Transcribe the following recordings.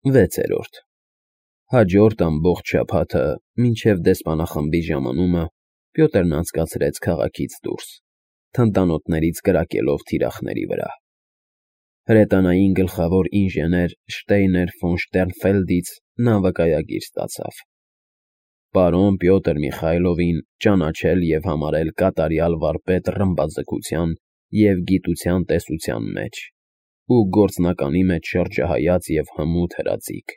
6-րդ Հաջորդ ամբողջ շաբաթը, մինչև դեսպանախմբի ժամանումը, Պյոտրն անցկացրեց քաղաքից դուրս, թնդանոթներից կրակելով թիրախների վրա։ Հրետանային գլխավոր ինժեներ Շտեյներ ֆոն Շտերնֆելդից նա վկայագիր ստացավ։ Պարոն Պյոտր Միխայլովին ճանաչել և համարել կատարյալ վարպետ ռմբաձգության և գիտության տեսության մեջ ու գործնականի մեջ շրջահայաց և հմուտ հրաձիգ,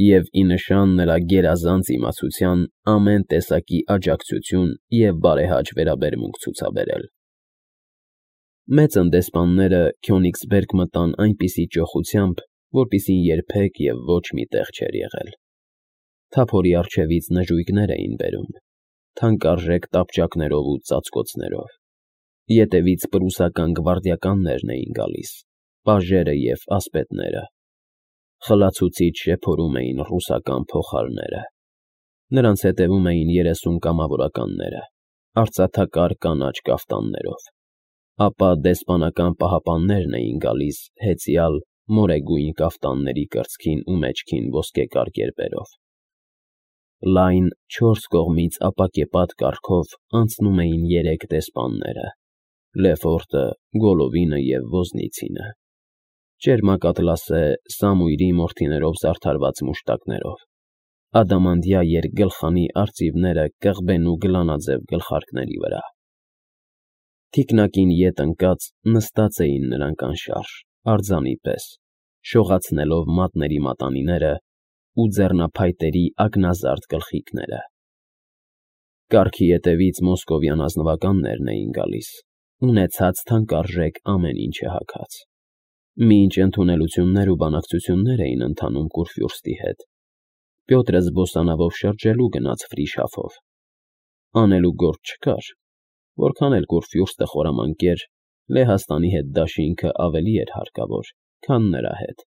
և ի նշան նրա գերազանց իմացության ամեն տեսակի աջակցություն և բարեհաճ վերաբերմունք ցուցաբերել։ Մեծն դեսպանները Քյոնիգսբերգ մտան այնպիսի ճոխությամբ, որպիսին երբեք և ոչ մի տեղ չէր եղել։ Թափորի առջևից նժույգներ էին բերում, թանկարժեք տապճակներով ու ծածկոցներով, ետևից պրուսական գվարդիականներն էին գալիս, պաժերը և ասպետները, խլացուցիչ շեփորում էին ռուսական փողահարները, նրանց հետևում էին 30 կամավորականները, արծաթակար կանաչ կաֆտաններով, ապա դեսպանական պահապաններն էին գալիս հեծյալ մորեգույն կաֆտանների կրծքին ու մեջքին ոսկեկար կերպերով։ Լայն 4 կողմից ապակեպատ կարգով անցնում էին 3 դեսպանները՝ Լեֆորտը, Գոլովինը և Ոզնիցինը, ճերմակատլասե Սամույրի մորթիներով զարդարված մուշտակներով, ադամանդյա երկգլխանի արծիվները կղբեն ու գլանաձև գլխարկների վրա։ Թիկնակին ետ ընկած նստած էին նրանք անշարժ, արձանի պես, շողացնելով մատների մատանիները ու ձեռնափայտերի ակնազարդ գլխիկները։ Կառքի ետևից մոսկովյան ազնվականներն էին գալիս, ունեցած թանկարժեք ամեն ինչը հագած։ Մինչ ընդունելություններ ու բանակցություններ էին ընթանում կուրֆյուրստի հետ, Պյոտրը զբոսանավով շրջելու գնաց Ֆրիշհաֆով։ Անելու գործ չկար, որքան էլ կուրֆյուրստը խորամանկեր, Լեհաստանի հետ դաշինքը ավելի էր հարկավոր, քան նրա հետ։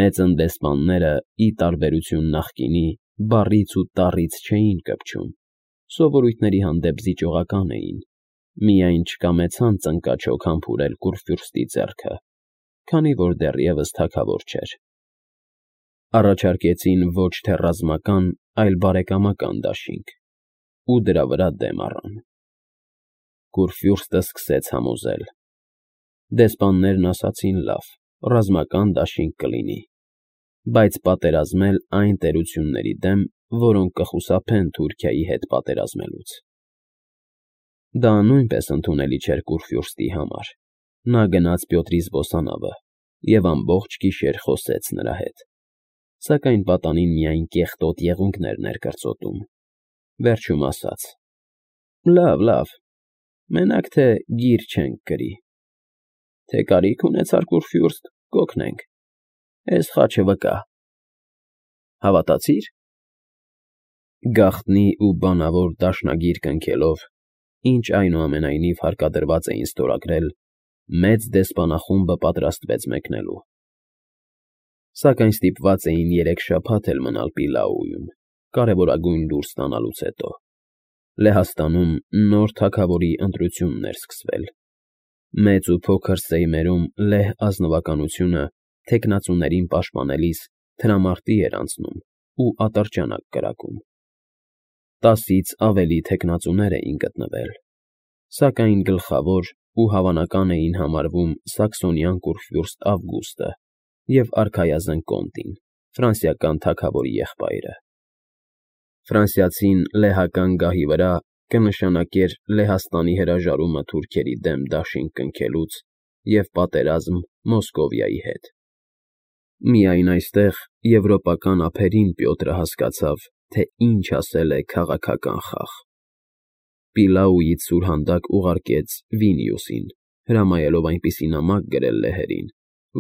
Մեծն դեսպանները, ի տարբերություն նախկինի, բառից ու տառից չէին կպչում, սովորույթների հանդեպ զիջողական էին, միայն չկամեցան ծնկաչոք համբուրել կուրֆյուրստի ձեռքը, քանի որ դեռևս թագավոր չէր։ Առաջարկեցին ոչ թե ռազմական, այլ բարեկամական դաշինք, ու դրա վրա դեմ առան։ Կուրֆյուրստը սկսեց համոզել։ Դեսպաններն ասացին՝ լավ, ռազմական դաշինք կլինի, բայց պատերազմել այն տերությունների դեմ, որոնք կխուսափեն Թուրքիայի հետ պատերազմելուց։ Դա նույնպես ընդունելի չէր կուրֆյուրստի համար։ Նա գնաց Պյոտրի զբոսանավը և ամբողջ գիշեր խոսեց նրա հետ, սակայն պատանին միայն կեղտոտ եղունգներ էր կրծոտում։ Վերջում ասաց. լավ, մենակ թե գիր չենք կրի։ Թե կարիք ունեցար կուրֆյուրստ, կօգնենք, էս խաչը վկա։ Հավատացի՞ր։ Գաղտնի ու բանավոր դաշնագիր կնքելով, ինչ այնուամենայնիվ հարկադրված էին ստորագրել, մեծ դեսպանախումբը պատրաստվեց մեկնելու։ Սակայն ստիպված էին 3 շաբաթ էլ մնալ Պիլաուում, կարևորագույն լուր ստանալուց հետո։ Լեհաստանում նոր թագավորի ընտրությունն էր սկսվել։ Մեծ ու փոքր սեյմերում լեհ ազնվականությունը թեկնածուներին պաշտպանելիս տրամարտի էր անցնում ու ատրճանակ կրակում։ 10-ից ավելի թեկնածուներ էին գտնվել, սակայն գլխավոր ու հավանական էին համարվում սաքսոնյան կուրֆյուրստ Ավգուստը և արքայազն Կոնտին, ֆրանսիական թագավորի եղբայրը։ Ֆրանսիացին լեհական գահի վրա կնշանակեր Լեհաստանի հրաժարումը թուրքերի դեմ դաշինք կնքելուց և պատերազմ Մոսկովիայի հետ։ Միայն այստեղ եվրոպական ափերին Պյոտրը հասկացավ, թե ինչ ասել է քաղաքական խաղ։ Պիլաուից սուրհանդակ ուղարկեց Վիլնյուսին, հրամայելով այնպիսի նամակ գրել լեհերին,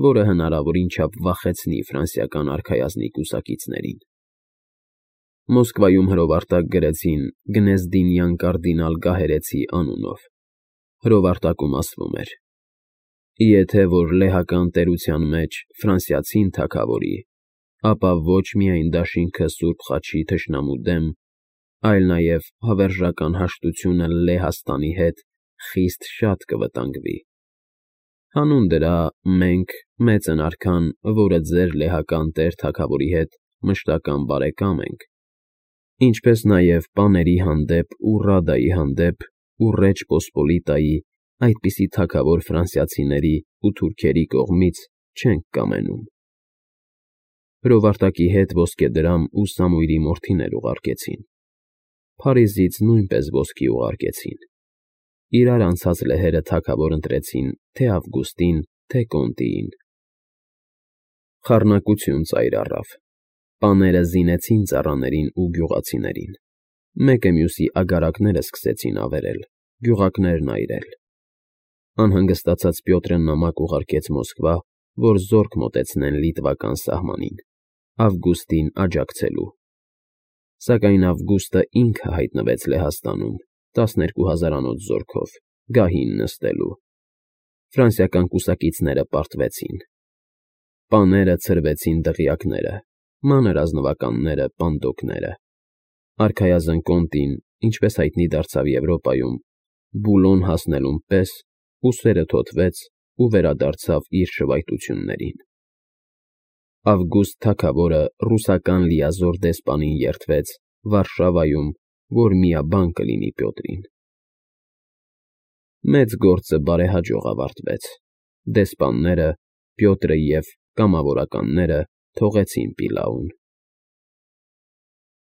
որը հնարավորին չափ վախեցնի ֆրանսիական արքայազնի կուսակիցներին։ Մոսկվայում հրովարտակ գրեցին Գնեզդինյան կարդինալ Գահերեցի անունով։ Հրովարտակում ասվում էր. Եթե որ լեհական տերության մեջ ֆրանսիացին թագավորի, ապա ոչ միայն դաշինքը Սուրբ Խաչի թշնամու դեմ, այլ նաև հավերժական հաշտությունը Լեհաստանի հետ խիստ շատ կվտանգվի։ Հանուն դրա մենք մեծն արքան, որը ձեր լեհական տեր թագավորի հետ մշտական բարեկամ ենք, ինչպես նաև պաների հանդեպ ու Ռադայի հանդեպ ու Ռեջ Պոսպոլիտայի, այդպիսի թագավոր ֆրանսիացիների ու թուրքերի կողմից չենք կամենում։ Հրովարտակի հետ ոսկեդրամ ու Սամուիլի մորթիներ ուղարկեցին, Փարիզից նույնպես ոսկի ուղարկեցին։ Իրար անցած լեհերը թագավոր ընտրեցին թե Ավգուստին, թե Կոնտիին։ Խառնակություն ծայր առավ։ Պաները զինեցին ծառաներին ու գյուղացիներին։ Մեկը մյուսի ագարակները սկսեցին ավերել, գյուղակներն այրել։ Անհանգստացած Պյոտրը նամակ ուղարկեց Մոսկվա, որ զորք մոտեցնեն լիտվական սահմանին, Ավգուստին աջակցելու։ Սակայն Ավգուստը ինքը հայտնվեց Լեհաստանում 12,000-անոց զորքով, գահին նստելու։ Ֆրանսիական կուսակիցները պարտվեցին։ Պաները ցրվեցին դղյակները, մանր ազնվականները պանդոկները։ Արքայազն Կոնտին, ինչպես հայտնի դարձավ Եվրոպայում, Բուլոն հասնելուն պես ուսերը թոթվեց ու վերադարձավ իր շվայտություններին։ Ավգուստ թագավորը ռուսական լիազոր դեսպանին երդվեց Վարշավայում, որ միաբան կլինի Պյոտրին։ Մեծ գործը բարեհաջող ավարտվեց։ Դեսպանները, Պյոտրը և կամավորականները թողեցին Պիլաուն։